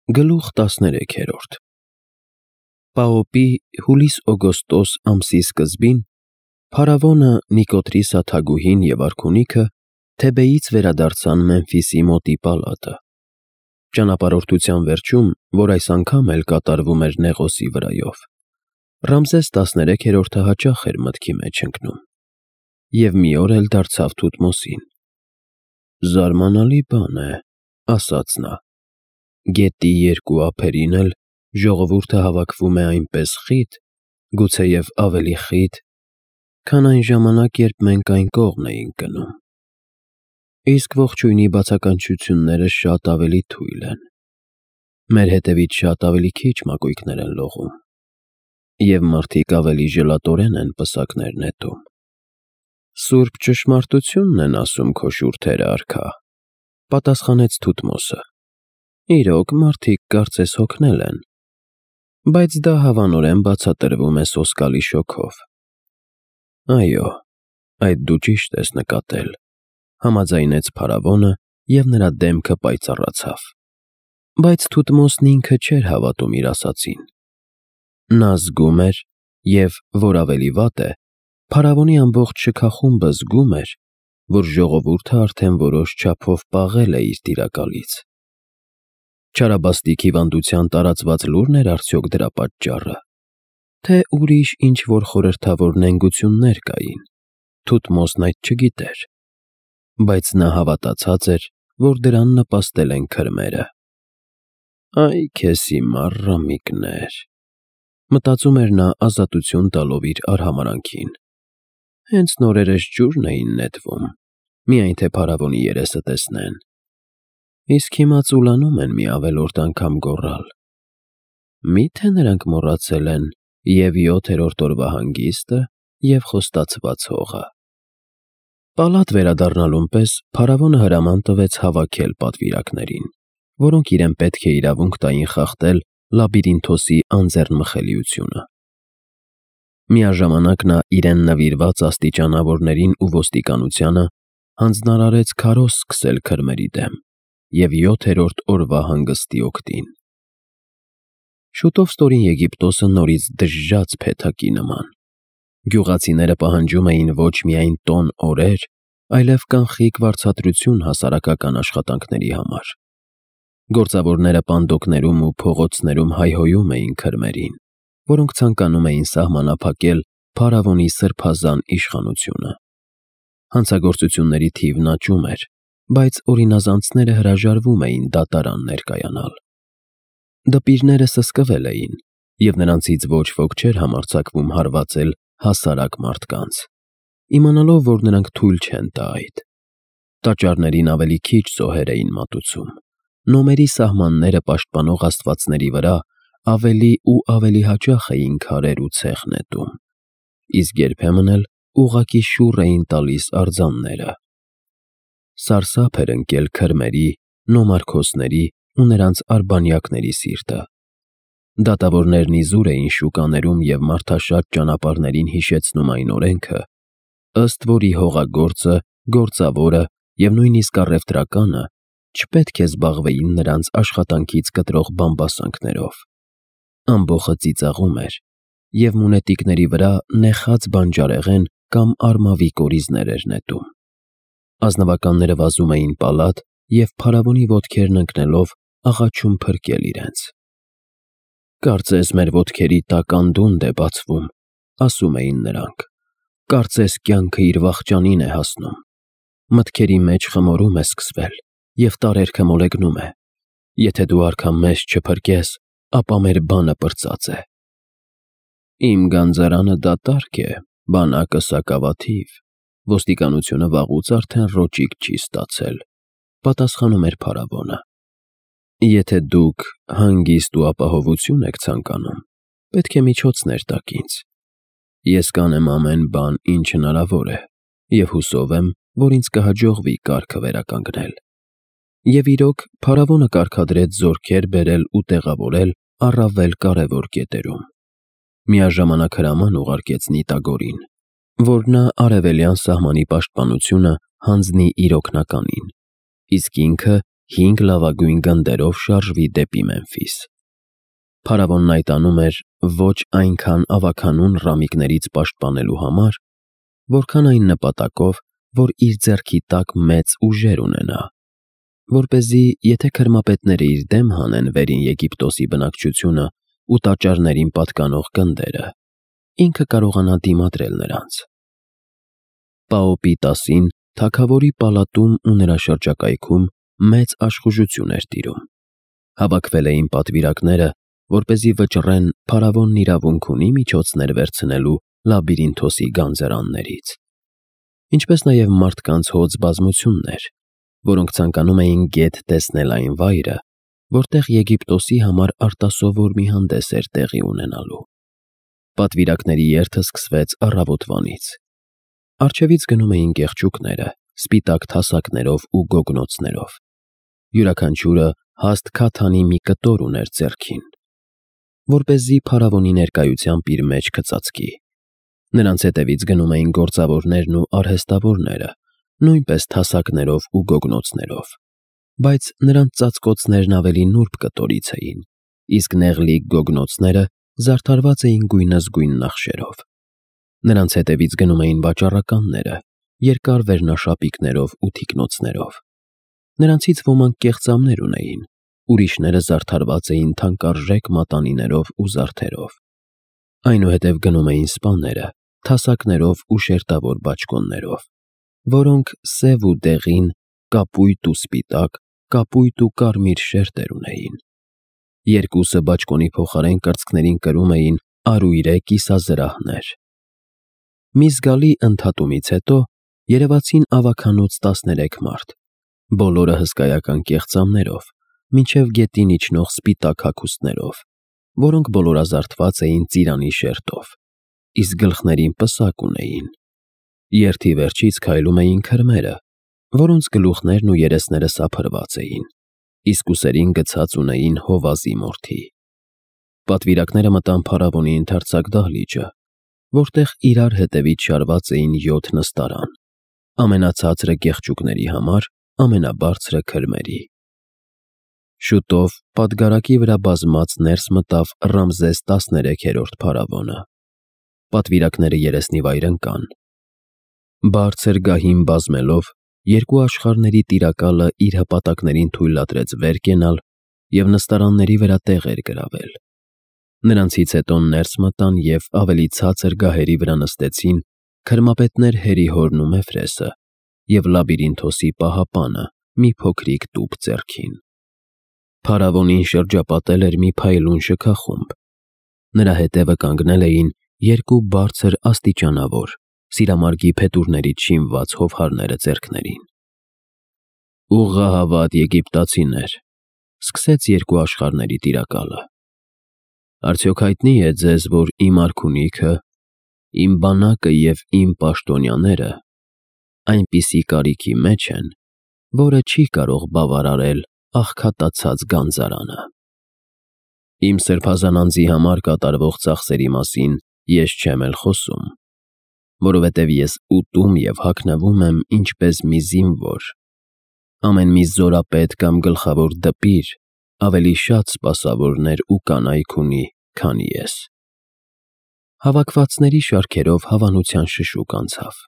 Գլուխ 13 Պաոպի հուլիս-օգոստոս ամսի սկզբին փարավոնը, Նիկոտրիսա թագուհին և արքունիքը Թեբեից վերադարձան Մեմֆիսի մոտի պալատը։ Ճանապարհորդության վերջում, որ այս անգամ էլ կատարվում էր Նեղոսի վրայով, Ռամզես 13-րդը հաճախ էր մտքի մեջ ընկնում, և մի օր էլ դարձավ Թութմոսին։ «Զարմանալի բան է,» ասաց նա, «գետի երկու ափերին էլ ժողովուրդը հավաքվում է այնպես խիտ, գուցեև ավելի խիտ, քան այն ժամանակ, երբ մենք այն կողմ էինք գնում։ Իսկ ողջույնի բացականչությունները շատ ավելի թույլ են, մեր հետևից շատ ավելի քիչ մակույկներ են լողում, և մարդիկ ավելի ժլատորեն են պսակներ նետում»։ «Սուրբ ճշմարտությունն են ասում քո շուրթերը, արքա,» պատասխանեց Թութմոսը։ «Իրոք, մարդիկ կարծես հոգնել են, բայց դա հավանորեն բացատրվում է սոսկալի շոգով»։ «Այո, այդ դու ճիշտ ես նկատել,» համաձայնեց փարավոնը, և նրա դեմքը պայծառացավ։ Բայց Թութմոսն ինքը չէր հավատում իր ասածին։ Նա զգում էր, և, որ ավելի վատ է, փարավոնի ամբողջ շքախումբը զգում էր, որ ժողովուրդը արդեն որոշ չափով պաղել է իր տիրակալից։ Չարաբաստիկ հիվանդության տարածված լո՞ւրն էր արդյոք դրա պատճառը, թե ուրիշ ինչ-որ խորհրդավոր նենգություններ կային, Թութմոսն այդ չգիտեր, բայց նա հավատացած էր, որ դրան նպաստել են քրմերը։ «Այ քեզ հիմար ռամիկներ,» մտածում էր նա ազատություն տալով իր արհամարհանքին։ «Հենց նորերս ջուրն էին նետվում, միայն թե փարավոնի երեսը տեսնեն, իսկ հիմա ծուլանում են մի ավելորդ անգամ գոռալ։ Մի՞թե նրանք մոռացել են և 7-րդ օրվա հանգիստը, և խոստացված հողը»։ Պալատ վերադառնալուն պես փարավոնը հրաման տվեց հավաքել պատվիրակներին, որոնք իրեն պետք է իրավունք տային խախտել Լաբիրինթոսի անձեռնմխելիությունը։ Միաժամանակ նա իրեն նվիրված աստիճանավորներին ու ոստիկանությանը հանձնարարեց քարոզ սկսել քրմերի դեմ և 7-րդ օրվա հանգստի օգտին։ Շուտով Ստորին Եգիպտոսը նորից դժժաց փեթակի նման։ Գյուղացիները պահանջում էին ոչ միայն տոն օրեր, այլև կանխիկ վարձատրություն հասարակական աշխատանքների համար։ Գործավորները պանդոկներում ու փողոցներում հայհոյում էին քրմերին, որոնք ցանկանում էին սահմանափակել փարավոնի սրբազան իշխանությունը։ Հանցագործությունների թիվն աճում էր, բայց օրինազանցները հրաժարվում էին դատարան ներկայանալ։ Դպիրները սսկվել էին, և նրանցից ոչ ոք չէր համարձակվում հարվածել հասարակ մարդկանց, իմանալով, որ նրանք թույլ չեն տա այդ։ Տաճարներին ավելի քիչ զոհեր էին մատուցում, նոմերի սահմանները պաշտպանող աստվածների վրա ավելի ու ավելի հաճախ էին քարեր ու ցեխ նետում, իսկ երբեմն էլ ուղղակի շուռ էին տալիս արձանները։ Սարսափ էր ընկել քրմերի, նոմարքոսների ու նրանց արբանյակների սիրտը։ Դատավորներն իզուր էին շուկաներում և մարդաշատ ճանապարհներին հիշեցնում այն օրենքը, ըստ որի հողագործը, գործավորը և նույնիսկ առևտրականը չպետք է զբաղվեին նրանց աշխատանքից կտրող բամբասանքներով։ Ամբոխը ծիծաղում էր, և մունետիկների վրա նեխած բանջարեղեն կամ արմավի կորիզներ էր նետում։ Ազնվականները վազում էին պալատ և փարավոնի ոտքերն ընկնելով աղաչում փրկել իրենց։ «Կարծես մեր ոտքերի տակ անդունդը է բացվում,» ասում էին նրանք, «կարծես կյանքը իր վախճանին է հասնում։ Մտքերի մեջ խմորում է սկսվել, և տարերքը մոլեգնում է։ Եթե դու արքա մեզ չփրկես, ապա մեր բանը պրծած է»։ «Իմ գանձարանը դատարկ է, բանակը սակավաթիվ, ոստիկանությունը վաղուց արդեն ռոճիկ չի ստացել,» պատասխանում էր փարավոնը։ «Եթե դուք հանգիստ ու ապահովություն եք ցանկանում, պետք է միջոցներ տաք ինձ։ Ես կանեմ ամեն բան, ինչ հնարավոր է, և հուսով եմ, որ ինձ կհաջողվի կարգը վերականգնել»։ Եվ իրոք, փարավոնը կարգադրեց զորքեր բերել ու տեղավորել առավել կարևոր կետերում։ Միաժամանակ հրաման ուղարկեց Նիտագորին, որ նա արևելյան սահմանի պաշտպանությունը հանձնի իր օգնականին, իսկ ինքը 5 լավագույն գնդերով շարժվի դեպի Մեմֆիս։ Փարավոնն այդ անում էր ոչ այնքան ավագանուն ռամիկներից պաշտպանելու համար, որքան այն նպատակով, որ իր ձեռքի տակ մեծ ուժեր ունենա, որպեսզի, եթե քրմապետները իր դեմ հանեն Վերին Եգիպտոսի բնակչությունը ու տաճարներին պատկանող գնդերը, ինքը կարողանա դիմադրել նրանց։ Պաոպի 10-ին թագավորի պալատում ու նրա շրջակայքում մեծ աշխուժություն էր տիրում։ Հավաքվել էին պատվիրակները, որպեսզի վճռեն փարավոնն իրավունք ունի միջոցներ վերցնելու Լաբիրինթոսի գանձերաններից, ինչպես նաև մարդկանց հոծ բազմություններ, որոնք ցանկանում էին գետ տեսնել այն վայրը, որտեղ Եգիպտոսի համար արտասովոր մի հանդես էր տեղի ունենալու։ Պատվիրակների երթը սկսվեց առավոտվանից։ Առջևից գնում էին կեղճուկները, սպիտակ թասակներով ու գոգնոցներով։ Յուրաքանչյուրը հաստ քաթանի մի կտոր ուներ ձեռքին, որպեսզի փարավոնի ներկայությամբ իր մեջ կծածկի։ Նրանց հետևից գնում էին գործավորներն ու արհեստավորները, նույնպես թասակներով ու գոգնոցներով, բայց նրանց ծածկոցներն ավելի նուրբ կտորից էին, իսկ նեղլիկ գոգնոցները զարդարված էին գույնզգույն նախշերով։ Նրանց հետևից գնում էին վաճառականները, երկար վերնաշապիկներով ու թիկնոցներով։ Նրանցից ոմանք կեղծամներ ունեին, ուրիշները զարդարված էին թանկարժեք մատանիներով ու զարդերով։ Այնուհետև գնում էին սպաները, թասակներով ու շերտավոր բաճկոններով, որոնք սև ու դեղին, կապույտ ու սպիտակ, կապույտ ու կարմիր շերտեր ունեին։ Երկուսը բաճկոնի փոխարեն կրծքներին կրում էին արույրե կիսազրահներ։ Մի զգալի ընդհատումից հետո երևացին ավագանոց 13 մարդ, բոլորը հսկայական կեղծամներով, մինչև գետին իջնող սպիտակ հագուստներով, որոնք բոլորազարդված էին ծիրանի շերտով, իսկ գլխներին պսակ ունեին։ Երթի վերջից քայլում էին քրմերը, որոնց գլուխներն ու երեսները սափրված էին, իսկ ուսերին գցած ունեին հովազի մորթի։ Պատվիրակները մտան փարավոնի ընդարձակ դահլիճը, որտեղ իրար հետևից շարված էին 7 նստարան, ամենացածրը կեղճուկների համար, ամենաբարձրը քրմերի։ Շուտով պատգարակի վրա բազմած ներս մտավ Ռամզես 13-րդ փարավոնը։ Պատվիրակները երեսնիվայր ընկան։ Բարձր գահին բազմելով, երկու աշխարհների տիրակալը իր հպատակներին թույլատրեց վեր կենալ և նստարանների վրա տեղեր գրավել։ Նրանցից հետո ներս մտան և ավելի ցածր գահերի վրա նստեցին քրմապետներ Հերիհորն ու Մեֆրեսը և Լաբիրինթոսի պահապանը մի փոքրիկ տուփ ձեռքին։ Փարավոնին շրջապատել էր մի փայլուն շքախումբ։ Նրա հետևը կանգնել էին երկու բարձր աստիճանավոր, սիրամարգի փետուրներից շինված հովհարները ձեռքներին։ «Ուղղահավատ եգիպտացիներ», սկսեց երկու աշխարհների տիրակալը, «արդյոք հայտնի է ձեզ, որ իմ արքունիքը, իմ բանակը և իմ պաշտոնյաները այնպիսի կարիքի մեջ են, որը չի կարող բավարարել աղքատացած գանձարանը։ Իմ սրբազան անձի համար կատարվող ծախսերի մասին ես չեմ էլ խոսում, որովհետև ես ուտում և հագնվում եմ ինչպես մի զինվոր, ամեն մի զորապետ կամ գլխավոր դպիր ավելի շատ սպասավորներ ու կանայք ունի, քան ես»։ Հավաքվածների շարքերով հավանության շշուկ անցավ։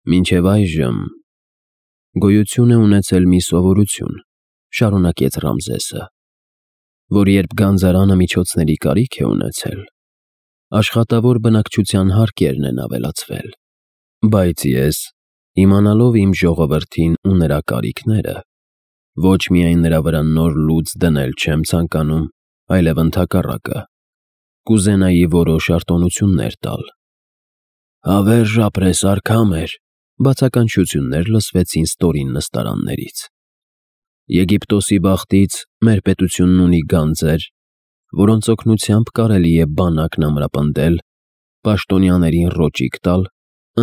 «Մինչև այժմ գոյություն է ունեցել մի սովորություն», շարունակեց Ռամզեսը, «որ երբ գանձարանը միջոցների կարիք է ունեցել, աշխատավոր բնակչության հարկերն են ավելացվել, բայց ես, իմանալով իմ ժողովրդին ու նրա կարիքները, ոչ միայն նրա վրա նոր լուծ դնել չեմ ցանկանում, այլև ընդհակառակը, կուզենայի որոշ արտոնություններ տալ»։ «Հավերժ ապրես, արքա մեր», բացականչություններ լսվեցին ստորին նստարաններից։ «Եգիպտոսի բախտից մեր պետությունն ունի գանձեր, որոնց օգնությամբ կարելի է բանակն ամրապնդել, պաշտոնյաներին ռոճիկ տալ,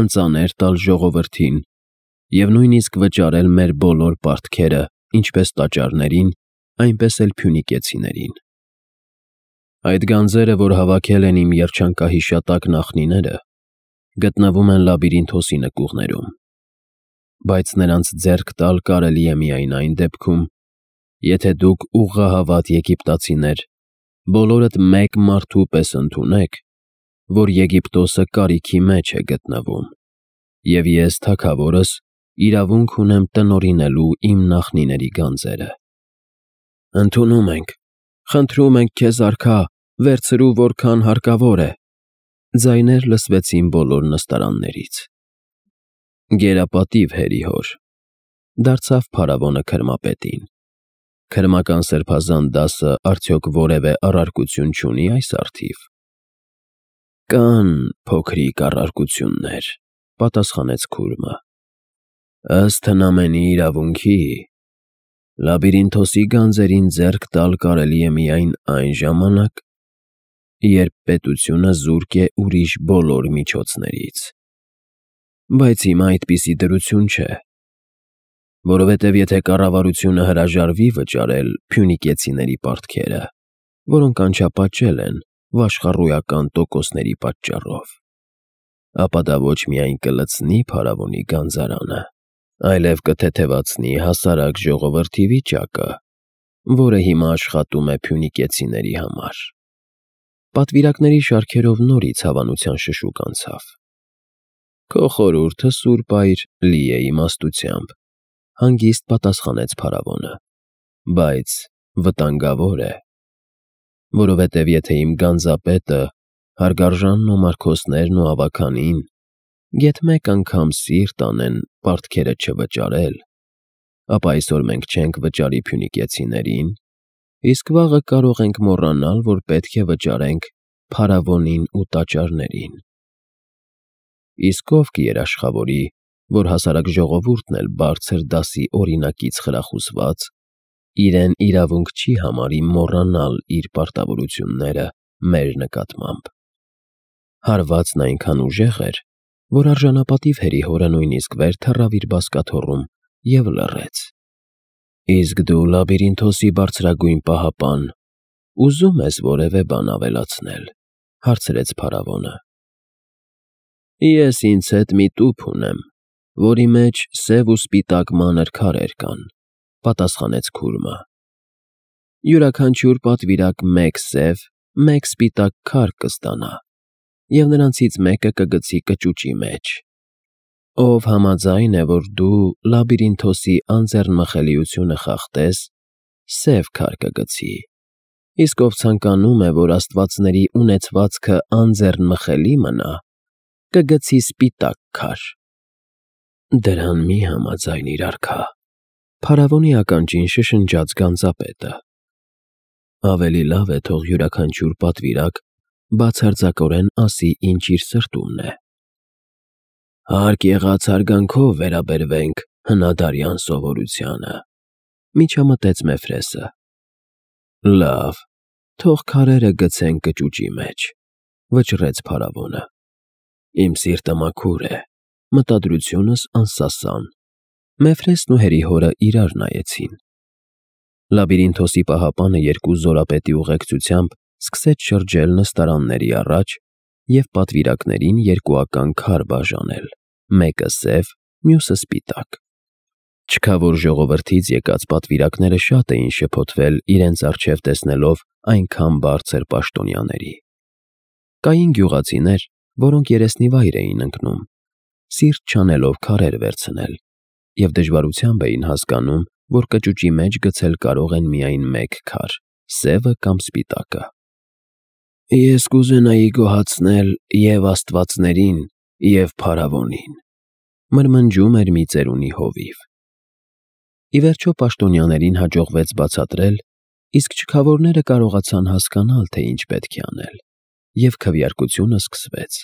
ընծաներ տալ ժողովրդին և նույնիսկ վճարել մեր բոլոր պարտքերը ինչպես տաճարներին, այնպես էլ փյունիկեցիներին։ Այդ գանձերը, որ հավաքել են իմ երջանկահիշատակ նախնիները, գտնվում են Լաբիրինթոսի նկուղներում։ բայց նրանց ձեռք տալ կարելի է միայն այն դեպքում, եթե դուք ուղղահավատ եգիպտացիներ բոլորդ մեկ մարդու պես ընդունեք, որ Եգիպտոսը կարիքի մեջ է գտնվում, և ես, թագավորս, իրավունք ունեմ տնօրինելու իմ նախնիների գանձերը։ Ընդունում ենք, խնդրում ենք քեզ, արքա, վերցրու որքան հարկավոր է։ Ձայներ լսվեցին բոլոր նստարաններից։ Գերապատիվ հերի հոր, դարձավ փարավոնը քրմապետին։ Քրմական սրբազան դասը արդյոք որևէ առարկություն չունի այս առթիվ։ Կան փոքրիկ առարկություններ, պատասխանեց քուրմը։ Ըստ հնամենի իրավունքի, Լաբիրինթոսի գանձերին ձեռք տալ կարելի է միայն այն ժամանակ, երբ պետությունը զուրկ է ուրիշ բոլոր միջոցներից։ Բայց հիմա այդպիսի դրություն չէ, որովհետև եթե կառավարությունը հրաժարվի վճարել փյունիկեցիների պարտքերը, որոնք անչափաճել են վաշխառույական տոկոսների պատճառով, ապա դա ոչ միայն կլցնի փարավոնի գանձարանը, այլև կթեթևացնի հասարակ ժողովրդի վիճակը, որը հիմա աշխատում է փյունիկեցիների համար։ Պատվիրակների շարքերով նորից հավանության շշուկ անցավ։ Քո խորհուրդը, սուրբ այր, լի է իմաստությամբ, հանգիստ պատասխանեց փարավոնը, բայց վտանգավոր է, որովհետև եթե իմ գանձապետը, հարգարժանն ու մարգոսներն ու ավագանին գեթ մեկ անգամ սիրտ անեն պարտքերը չվճարել, ապա այսօր մենք չենք վճարի փյունիկեցիներին, իսկ վաղը կարող ենք մոռանալ, որ պետք է վճարենք փարավոնին ու տաճարներին։ Իսկ ով կերաշխավորի, որ հասարակ ժողովուրդն էլ բարձր դասի օրինակից խրախուսված, իրեն իրավունք չի համարի մոռանալ իր պարտավորությունները մեր նկատմամբ։ Հարվածն այնքան ուժեղ էր, որ արժանապատիվ հերի հորը նույնիսկ վեր թռավ իր բազկաթոռում և լռեց։ Իսկ դու, Լաբիրինթոսի բարձրագույն պահապան, ուզում ես որևէ բան ավելացնել, հարցրեց փարավոնը։ Ես ինձ հետ մի տուփ ունեմ, որի մեջ սև ու սպիտակ մանր քարեր կան, պատասխանեց քուրմը։ Յուրաքանչյուր պատվիրակ մեկ սև, մեկ սպիտակ քար կստանա, և նրանցից մեկը կգցի կճուճի մեջ։ Ով համաձայն է, որ դու Լաբիրինթոսի անձեռնմխելիությունը խախտես, սև քար կգցի, իսկ ով ցանկանում է, որ աստվածների ունեցվածքը անձեռնմխելի մնա, կգցի սպիտակ քար։ Դրան մի համաձայնիր, արքա, փարավոնի ականջին շշնջաց գանձապետը։ Ավելի լավ է թող յուրաքանչյուր պատվիրակ բացարձակորեն ասի, ինչ իր սրտումն է։ Հարկ եղած հարգանքով վերաբերվենք հնադարյան սովորությանը, միջամտեց Մեֆրեսը։ Լավ, թող քարերը գցենք կճուճի մեջ, վճռեց փարավոնը։ Իմ սիրտը մաքուր է, մտադրությունս անսասան։ Մեֆրեսն ու հերի հորը իրար նայեցին։ Լաբիրինթոսի պահապանը երկու զորապետի ուղեկցությամբ սկսեց շրջել նստարանների առաջ և պատվիրակներին երկուական քար բաժանել, մեկը սև, մյուսը սպիտակ։ Չքավոր ժողովրդից եկած պատվիրակները շատ էին շփոթվել իրենց առջև տեսնելով այնքան բարձր պաշտոնյաների։ Կային գյուղացիներ, որոնք երեսնիվայր էին ընկնում, սիրտ չանելով քարեր վերցնել, և դժվարությամբ էին հասկանում, որ կճուճի մեջ գցել կարող են միայն մեկ քար, սևը կամ սպիտակը։ Ես կուզենայի գոհացնել և աստվածներին, և փարավոնին, մրմնջում էր մի ծերունի հովիվ։ Ի վերջո պաշտոնյաներին հաջողվեց բացատրել, իսկ չքավորները կարողացան հասկանալ, թե ինչ պետք է անել, և քվեարկությունը սկսվեց։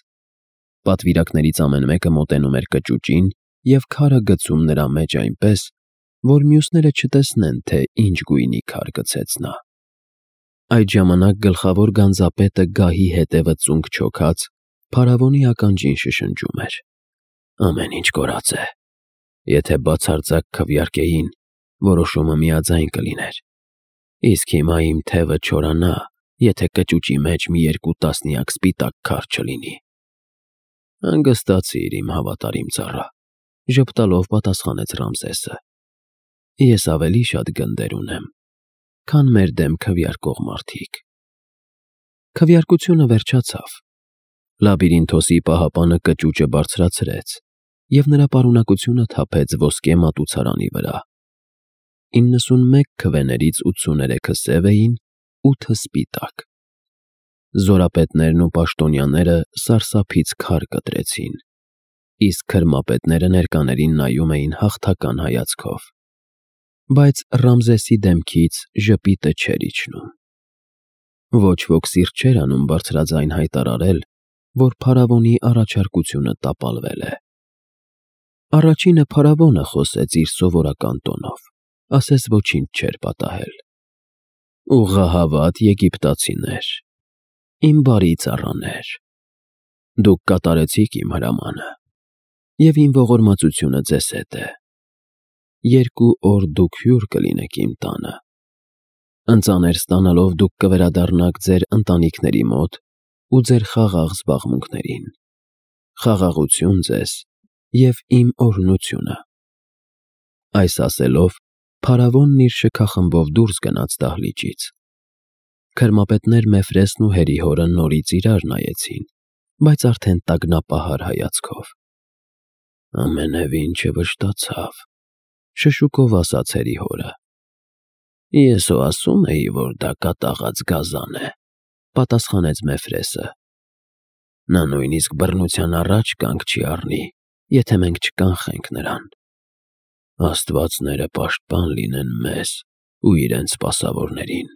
Պատվիրակներից ամեն մեկը մոտենում էր կճուճին և քարը գցում նրա մեջ այնպես, որ մյուսները չտեսնեն, թե ինչ գույնի քար գցեց նա։ Այդ ժամանակ գլխավոր գանձապետը գահի հետևը ծունկ չոքած, փարավոնի ականջին շշնջում էր. Ամեն ինչ կորած է։ Եթե բացարձակ քվեարկեին, որոշումը միաձայն կլիներ։ Իսկ հիմա իմ թևը չորանա, եթե կճուճի մեջ մի երկու տասնյակ սպիտակ քար չլինի։ Հանգստացիր, իմ հավատարիմ ծառա, Ժպտալով պատասխանեց Ռամզեսը։ Ես ավելի շատ գնդեր ունեմ, քան մեր դեմ քվեարկող մարդիկ։ Քվեարկությունը վերջացավ։ Լաբիրինթոսի պահապանը կճուճը բարձրացրեց և նրա պարունակությունը թափեց ոսկե մատուցարանի վրա։ 91 քվեներից 83-ը սև էին, 8-ը սպիտակ։ Զորապետներն ու պաշտոնյաները սարսափից քար կտրեցին, իսկ քրմապետները ներկաներին նայում էին հաղթական հայացքով։ Բայց Ռամզեսի դեմքից ժպիտը չէր իջնում։ Ոչ ոք սիրտ չէր անում բարձրաձայն հայտարարել, որ փարավոնի առաջարկությունը տապալվել է։ Առաջինը փարավոնը խոսեց իր սովորական տոնով, ասես ոչինչ չէր պատահել։ Ուղղահավատ եգիպտացիներ, իմ բարի ծառաներ, դուք կատարեցիք իմ հրամանը, և իմ ողորմածությունը ձեզ հետ է։ 2 օր դուք հյուր կլինեք իմ տանը։ Ընծաներ ստանալով դուք կվերադառնաք ձեր ընտանիքների մոտ ու ձեր խաղաղ զբաղմունքներին։ Խաղաղություն ձեզ և իմ օրհնությունը։ Այս ասելով, փարավոնն իր շքախմբով դուրս գնաց դահլիճից։ Քրմապետներ Մեֆրեսն ու Հերիհորը նորից իրար նայեցին, բայց արդեն տագնապահար հայացքով։ Ամենևին չվշտացավ, շշուկով ասաց Հերիհորը։ Ես հո ասում էի, որ դա կատաղած գազան է, պատասխանեց Մեֆրեսը։ Նա նույնիսկ բռնության առաջ կանգ չի առնի, եթե մենք չկանխենք նրան։ Աստվածները պաշտպան լինեն մեզ ու իրենց սպասավորներին։